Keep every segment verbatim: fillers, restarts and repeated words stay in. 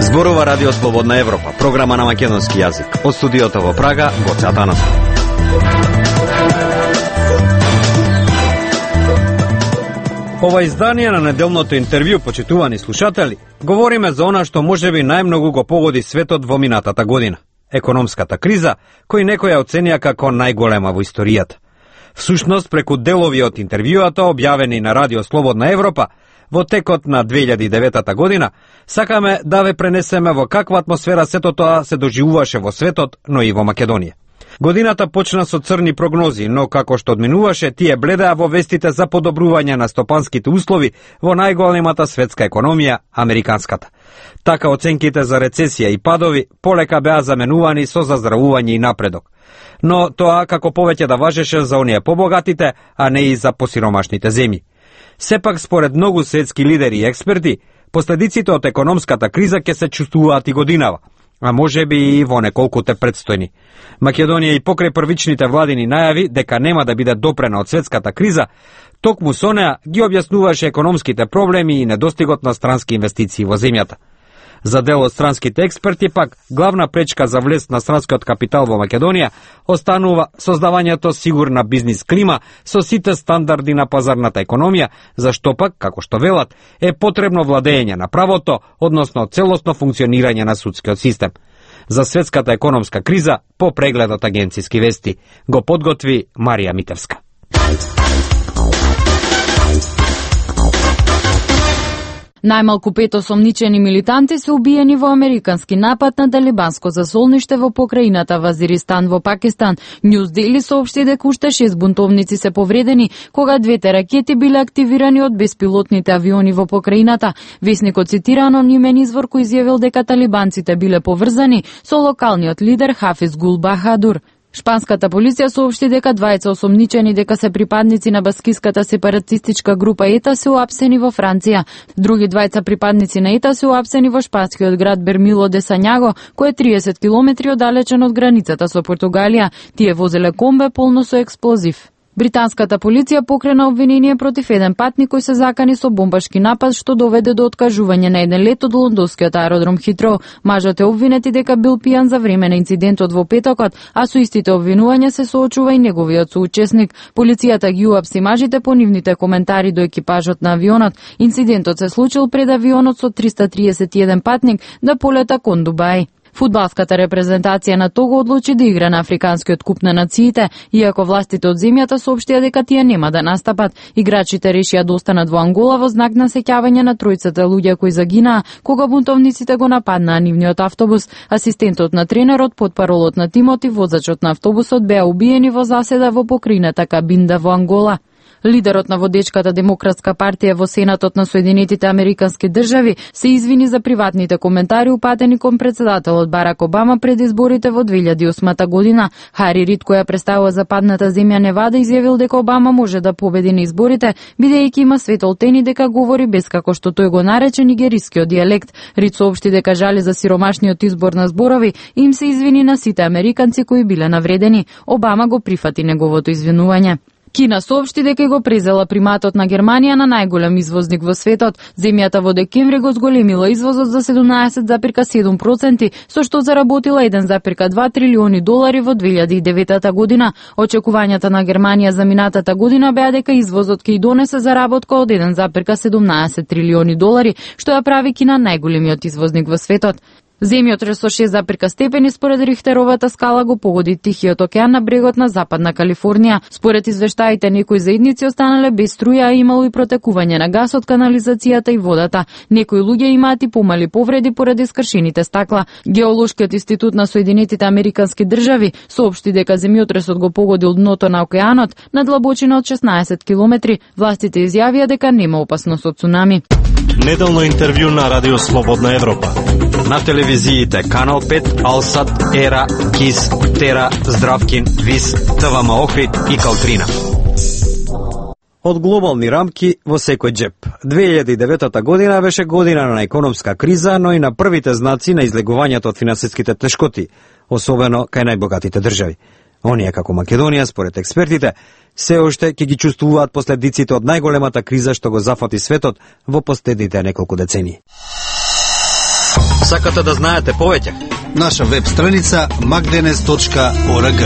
Зборува Радио Слободна Европа, програма на македонски јазик. Од студиото во Прага, Гоце Атанасов. Ова издание на неделното интервју, почитувани слушатели, говориме за она што можеби најмногу го погоди светот во минатата година. Економската криза, кој некој ја оценија како најголема во историјата. Всушност, преку делови од интервјуата, објавени на Радио Слободна Европа, во текот на две илјади и девета година, сакаме да ве пренесеме во каква атмосфера сето тоа се доживуваше во светот, но и во Македонија. Годината почна со црни прогнози, но како што одминуваше, тие бледеа во вестите за подобрување на стопанските услови во најголемата светска економија, американската. Така оценките за рецесија и падови полека беа заменувани со заздравување и напредок. Но тоа како повеќе да важеше за оние побогатите, а не и за посиромашните земји. Сепак, според многу светски лидери и експерти, последиците од економската криза ќе се чувствуваат и годинава, а може би и во неколкуте предстојни. Македонија и покрај првичните владини најави дека нема да биде допрена од светската криза, токму со неа ги објаснуваше економските проблеми и недостигот на странски инвестиции во земјата. За дел од странските експерти пак, главна пречка за влез на странскиот капитал во Македонија останува создавањето сигурна бизнис клима со сите стандарди на пазарната економија, зашто пак, како што велат, е потребно владење на правото, односно целосно функционирање на судскиот систем. За светската економска криза, по прегледот агенциски вести, го подготви Марија Митевска. Најмалку пет осомничени милитанти се убиени во американски напад на талибанско засолниште во покраината Вазиристан во Пакистан. Ньюз Дейли соопшти дека уште шест бунтовници се повредени кога двете ракети биле активирани од беспилотните авиони во покраината. Весникот цитира анонимен извор кој изјавил дека талибанците биле поврзани со локалниот лидер Хафиз Гул Бахадур. Шпанската полиција соопшти дека двајца осомничени дека се припадници на баскиската сепаратистичка група ЕТА се уапсени во Франција. Други двајца припадници на ЕТА се уапсени во шпанскиот град Бермило де Сањаго, кој е триесет километри оддалечен од границата со Португалија. Тие возеле комбе полно со експлозив. Британската полиција покрена обвинение против еден патник кој се закани со бомбашки напад што доведе до откажување на еден лет од лондонскиот аеродром Хитроу. Мажот е обвинети дека бил пијан за време на инцидентот во петокот, а со истите обвинувања се соочува и неговиот соучесник. Полицијата ги уапси мажите по нивните коментари до екипажот на авионот. Инцидентот се случил пред авионот со триста триесет и еден патник да полета кон Дубај. Фудбалската репрезентација на Того одлучи да игра на Африканскиот куп на нациите, иако властите од земјата соопштија дека тие нема да настапат. Играчите решија да останат во Ангола во знак на сеќавање на тројцата луѓе кои загинаа кога бунтовниците го нападнаа нивниот автобус. Асистентот на тренерот, потпаролот на тимот и возачот на автобусот беа убиени во заседа во покрината Кабинда во Ангола. Лидерот на водечката Демократска партија во Сенатот на Соединетите Американски држави се извини за приватните коментари упатени кон председателот Барак Обама пред изборите во две илјади и осма година. Хари Рид, која представува западната земја Невада, изјавил дека Обама може да победи на изборите, бидејќи има светолтени дека говори без како што тој го нарече нигерискиот дијалект. Рид соопшти дека жали за сиромашниот избор на зборови и им се извини на сите американци кои биле навредени. Обама го прифати неговото извинување. Кина соопшти дека го презела приматот на Германија на најголем извозник во светот. Земјата во декември го зголемила извозот за седумнаесет зарем седум проценти, со што заработила еден зарем два трилиони долари во две илјади и девета година. Очекувањата на Германија за минатата година беа дека извозот ќе и донесе заработка од еден зарем седумнаесет трилиони долари, што ја прави Кина најголемиот извозник во светот. Земјотрес со шест запирка степени според Рихтеровата скала го погоди Тихиот океан на брегот на Западна Калифорнија. Според извештаите, некои заедници останале без струја, а имало и протекување на газ од канализацијата и водата. Некои луѓе имаат и помали повреди поради скршените стакла. Геолошкиот институт на Соединетите Американски држави соопшти дека земјотресот го погодил дното на океанот на длабочина од шеснаесет километри. Властите изјавија дека нема опасност од цунами. Неделно интервју на Радио Слободна Европа. На телевизиите Канал пет, Алсат, Ера, Кис, Тера, Здравкин, Вис, ТВМ Охрид и Калтрина. Од глобални рамки во секој джеп. две илјади и девета година беше година на економска криза, но и на првите знаци на излегувањето од финансиските тешкоти, особено кај најбогатите држави. Оние како Македонија, според експертите, се уште ќе ги чувствуваат последиците од најголемата криза што го зафати светот во последните неколку децении. Сакате да знаете повеќе? Наша веб страница макденес точка орг.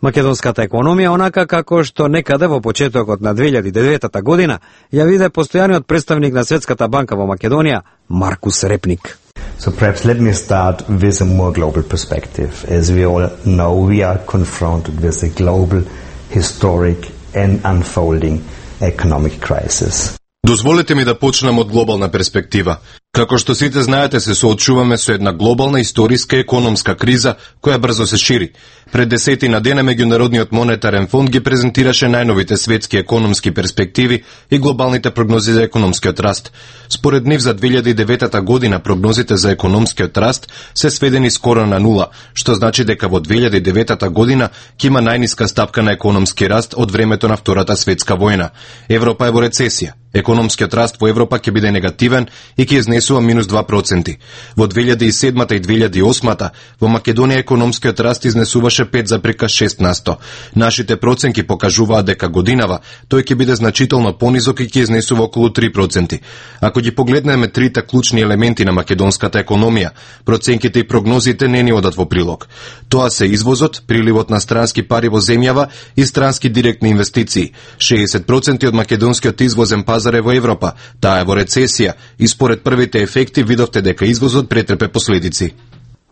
Македонската економија, онака како што некаде во почетокот на две илјади и девета година, ја виде постојаниот представник на Светската банка во Македонија, Маркус Репник. So perhaps let me start with a more global perspective. As we all know, we are confronted with a global, historic and unfolding economic crisis. Дозволете ми да почнам од глобална перспектива. Како што сите знаете, се соочуваме со една глобална историска економска криза која брзо се шири. Пред десетина дена Меѓународниот монетарен фонд ги презентираше најновите светски економски перспективи и глобалните прогнози за економскиот раст. Според нив за две илјади и девета година прогнозите за економскиот раст се сведени скоро на нула, што значи дека во две илјади и девета година ќе има најниска стапка на економски раст од времето на Втората светска војна. Европа е во рецесија. Економскиот раст во Европа ќе биде негативен и ќе изнесува минус два проценти. Во две илјади и седмата и две илјади и осмата во Македонија економскиот раст изнесуваше пет запирка шест на сто. Нашите проценки покажуваат дека годинава тој ќе биде значително понизок и ќе изнесува околу три проценти. Ако ги погледнеме трите клучни елементи на македонската економија, проценките и прогнозите не ни одат во прилог. Тоа се извозот, приливот на странски пари во земјава и странски директни инвестиции. шеесет проценти од македонскиот извозен пазар е во Европа, таа е во рецесија и според првите ефекти видовте дека извозот претрпе последици.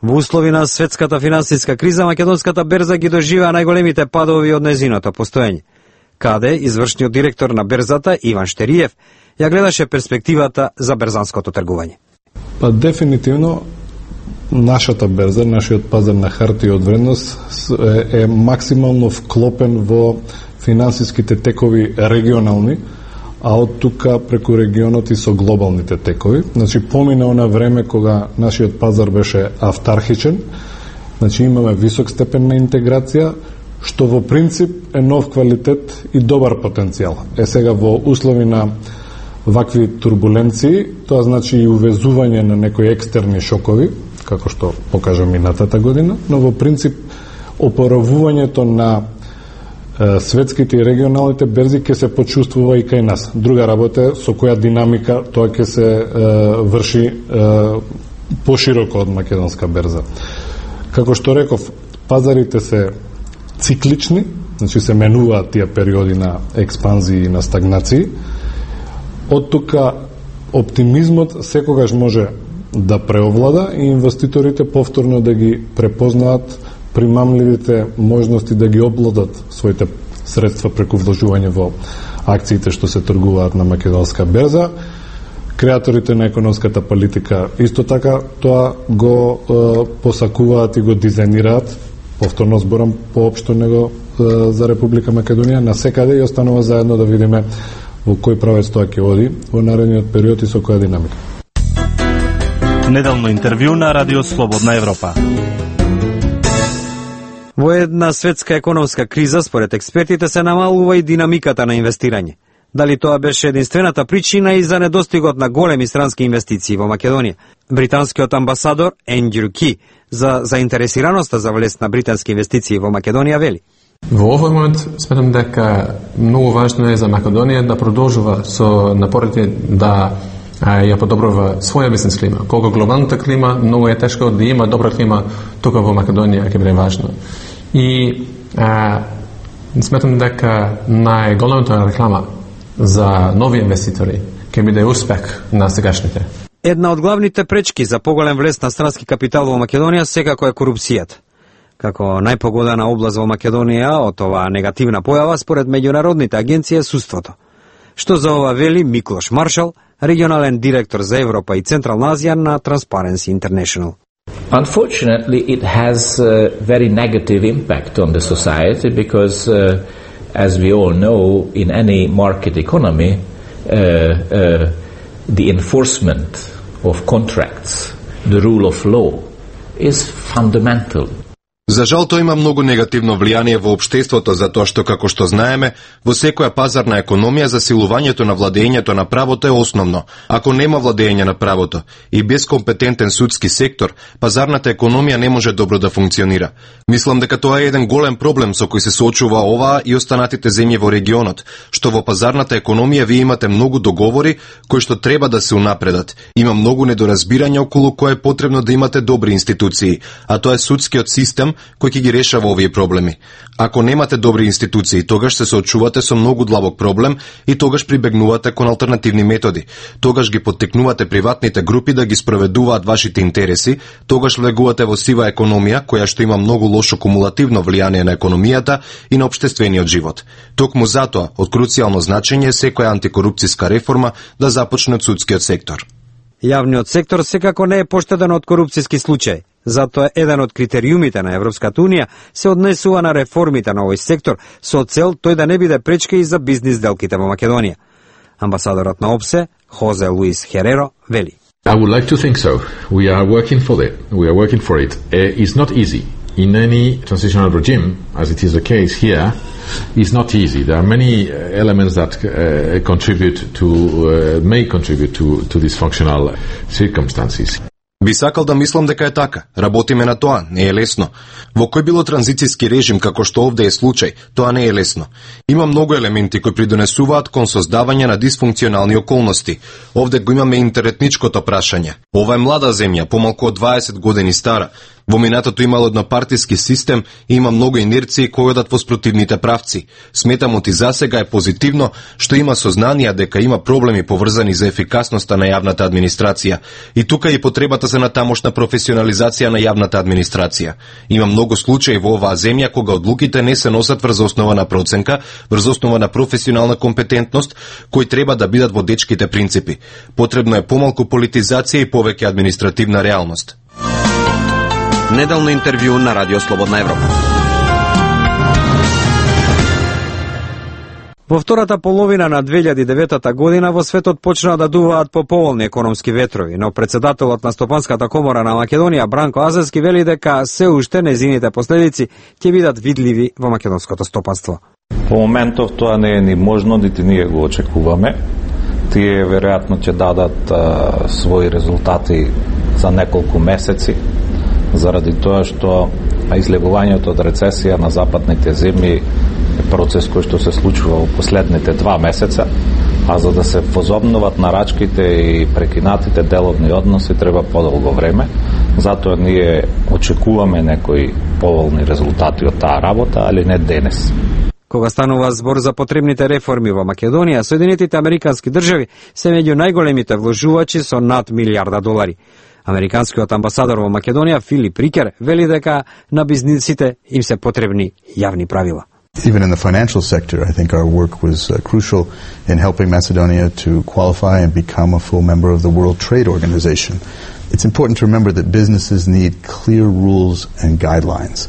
Во услови на светската финансиска криза, македонската берза ги доживеа најголемите падови од нејзиното постоење. Каде извршниот директор на берзата Иван Штериев ја гледаше перспективата за берзанското тргување. Па дефинитивно нашата берза, нашиот пазар на хартија од вредност е, е максимално вклопен во финансиските текови регионални, а од тука преку регионот и со глобалните текови. Значи, помина она време кога нашиот пазар беше автархичен, значи имаме висок степен на интеграција, што во принцип е нов квалитет и добар потенцијал. Е сега во услови на вакви турбуленции, тоа значи и увезување на некои екстерни шокови, како што покажа минатата година, но во принцип опоравувањето на светските и регионалните берзи ќе се почувствува и кај нас. Друга работа е со која динамика тоа ќе се е, врши е, пошироко од македонска берза. Како што реков, пазарите се циклични, значи се менуваат тие периоди на експанзии и на стагнации. Од тука оптимизмот секогаш може да преовлада и инвеститорите повторно да ги препознаат примамливите можности да ги обладат своите средства преку вложување во акциите што се тргуваат на македонска берза. Креаторите на економската политика исто така тоа го е, посакуваат и го дизајнираат, повторно зборам поопшто него е, за Република Македонија, на секаде и останува заедно да видиме во кој правец тоа ќе оди во наредниот период и со која динамика. Неделно интервју на Радио Слободна Европа. Во една светска економска криза, според експертите, се намалува и динамиката на инвестирање. Дали тоа беше единствената причина и за недостигот на големи странски инвестиции во Македонија? Британскиот амбасадор Ендрю Ки за заинтересираноста за влез на британски инвестиции во Македонија вели: Во овој момент сметам дека многу важно е за Македонија да продолжува со напорите да а, ја подобрува своја бизнес клима. Колку глобалната клима многу е тешко да има добра клима, тука во Македонија ќе биде важно. И а, сметам дека најголемата реклама за нови инвеститори ќе биде успех на сегашните. Една од главните пречки за поголем влез на странски капитал во Македонија секако е корупцијата. Како најпогодена област во Македонија од оваа негативна појава според меѓународните агенции е судството. Што за ова вели Миклош Маршал, регионален директор за Европа и Централна Азија на Transparency International. Unfortunately, it has a very negative impact on the society because, uh, as we all know, in any market economy, uh, uh, the enforcement of contracts, the rule of law, is fundamental. За жал, тоа има многу негативно влијание во општеството, затоа што, како што знаеме, во секоја пазарна економија засилувањето на владењето на правото е основно. Ако нема владење на правото и без компетентен судски сектор, пазарната економија не може добро да функционира. Мислам дека тоа е еден голем проблем со кој се соочува оваа и останатите земји во регионот, што во пазарната економија вие имате многу договори кои што треба да се унапредат. Има многу недоразбирање околу кое е потребно да имате добри институции, а тоа е судскиот систем кој ќе ги решава овие проблеми. Ако немате добри институции, тогаш се соочувате со многу длабок проблем и тогаш прибегнувате кон алтернативни методи. Тогаш ги поттикнувате приватните групи да ги спроведуваат вашите интереси, тогаш влегувате во сива економија која што има многу лошо кумулативно влијание на економијата и на општествениот живот. Токму затоа од круцијално значење е секоја антикорупцијска реформа да започне од судскиот сектор. Јавниот сектор секако не е поштеден од корупцијски случаи. Затоа еден од критериумите на Европската унија се однесува на реформите на овој сектор со цел тој да не биде пречка и за бизнис делките во Македонија. Амбасадорот на ОПСЕ, Хозе Луис Хереро, вели: I would like to think so. We are working for it. We are working for it. Uh, it's not easy. In any transitional regime, as it is the case here, it's not easy. There are many elements that uh, contribute to, uh, may contribute to, to dysfunctional circumstances. Би сакал да мислам дека е така. Работиме на тоа, не е лесно. Во кој било транзицијски режим, како што овде е случај, тоа не е лесно. Има многу елементи кои придонесуваат кон создавање на дисфункционални околности. Овде го имаме интеретничкото прашање. Ова е млада земја, помалку од дваесет години стара. Во минатото имало еднопартиски систем и има многу инерции кои одат во спротивните правци. Сметам оти засега е позитивно што има сознание дека има проблеми поврзани за ефикасноста на јавната администрација. И тука и потребата за натамошна професионализација на јавната администрација. Има многу случаи во оваа земја кога одлуките не се носат врз основа на проценка, врз основа на професионална компетентност, кои треба да бидат во дечките принципи. Потребно е помалку политизација и повеќе административна реалност. Неделно интервју на Радио Слободна Европа. Во втората половина на две илјади и деветта година во светот почнаа да дуваат поповолни економски ветрови, но председателот на Стопанската комора на Македонија Бранко Азевски вели дека се уште незините последици ќе бидат видливи во македонското стопанство. По моментов тоа не е ни можно, нити ние го очекуваме. Тие веројатно ќе дадат а, своји резултати за неколку месеци, заради тоа што излегувањето од рецесија на западните земји е процес кој што се случува во последните два месеца, а за да се возобноват нарачките и прекинатите деловни односи треба подолго време. Затоа ние очекуваме некои поволни резултати од таа работа, али не денес. Кога станува збор за потребните реформи во Македонија, Соединетите Американски држави се меѓу најголемите вложувачи со над милијарда долари. Американскиот амбасадор во Македонија Филип Рикер вели дека на бизнисите им се потребни јавни правила. Even in the financial sector, I think our work was uh, crucial in helping Macedonia to qualify and become a full member of the World Trade Organization. It's important to remember that businesses need clear rules and guidelines.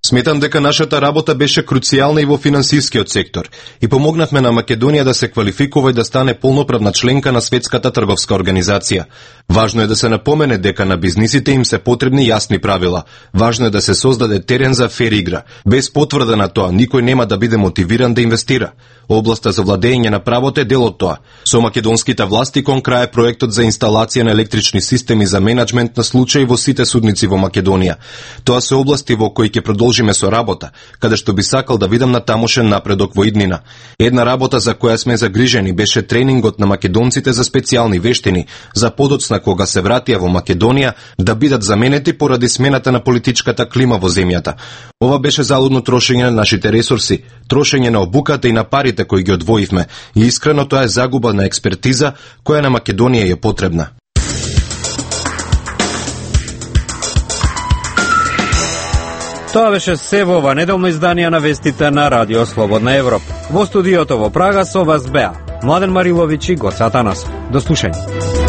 Сметам дека нашата работа беше круцијална и во финансискиот сектор и помогнавме на Македонија да се квалификува и да стане полноправна членка на Светската трговска организација. Важно е да се напомене дека на бизнисите им се потребни јасни правила. Важно е да се создаде терен за фер игра. Без потврда на тоа, никој нема да биде мотивиран да инвестира. Областа за владење на правото е дел од тоа. Со македонските власти кон крај проектот за инсталација на електрични системи за менаџмент на случаи во сите судници во Македонија. Тоа се области во кои ќе продолжиме со работа, каде што би сакал да видам натамошен напредок во иднина. Една работа за која сме загрижени беше тренингот на македонците за специјални вештини, за подоцна кога се вратија во Македонија да бидат заменети поради смената на политичката клима во земјата. Ова беше залудно трошење на нашите ресурси, трошење на обуката и на парите кои ги одвоивме, и искрено тоа е загуба на експертиза која на Македонија е потребна. Тоа беше се во ова неделно издание на вестите на Радио Слободна Европа. Во студиото во Прага со вас беа Младен Мариловиќ и Гоце Атанасов. До слушање.